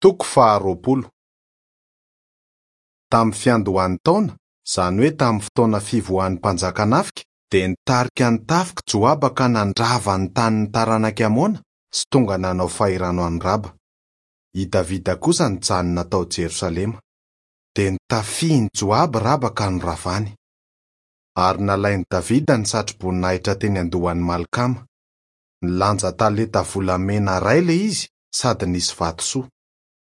Toko faharoapolo. Tamin'ny fiandohan'ny taona, izany hoe tamin'ny fotoana fivoahan'ny mpanjaka nafika, dia nitarika ny tafik'i Joaba ka nandrava ny tanin'ny taranak'i Amona sy tonga nanao fahirano an'i Raba. I Davida kosa nijanona tao Jerosalema. Dia notafihin'i Joaba Raba ka noravany. Ary nalain'i Davida ny satroboninahitra teny an-dohan'i Malkama. Nilanja talenta volamena iray ilay izy sady nisy vatosoa.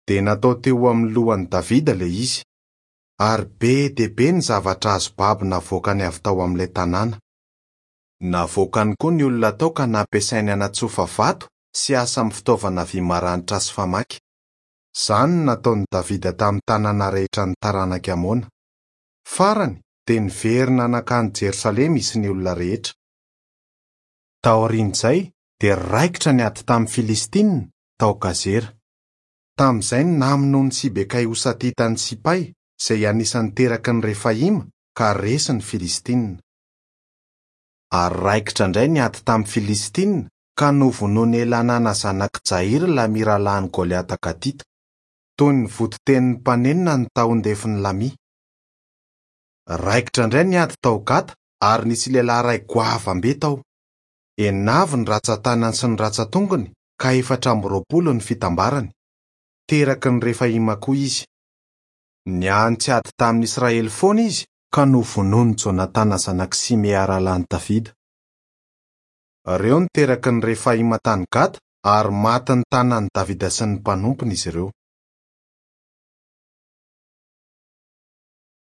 Dia natao teo amin'ny lohan'i Davida ilay izy. Ary be dia be ny zavatra azo babo navoakany avy tao amin'ilay tanàna. Navoakany koa ny olona tao ka nampiasainy hanatsofa vato sy asa amin'ny fitaovana vy maranitra sy famaky. Izany no nataon'i Davida tamin'ny tanàna rehetran'ny taranak'i Amona. Farany, dia niverina nankany Jerosalema izy sy ny olona rehetra. Taorian'izay, dia raikitra ny ady tamin'ny Filistinina, tao Gazera. Tamin'izay no namonoan'i Sibekay Hosatita an'i Sipay, izay anisan'ny teraky ny Refaima, ka resy ny Filistinina. Ary raikitra indray ny ady tamin'ny Filistinina, ka novonoin'i Elanana zanak'i Jaira ilay mirahalahin'i Goliata Gatita. Toy ny voditenin'ny mpanenina ny tahon-defon'i Lamia. Raikitra indray ny ady tao Gata, ary nisy lehilahy iray goavam-be tao. Enina avy ny rantsan-tanany sy ny rantsan-tongony, ka 24 ny fitambarany. Teraky ny Refaima koa izy. Niantsy ady tamin'ny Israely foana izy, ka novonoin'i Jonatana zanak'i Simea rahalahin'i Davida. Ireo no teraky ny Refaima tany Gata, ary matin'ny tanan'i Davida sy ny mpanompony izy ireo.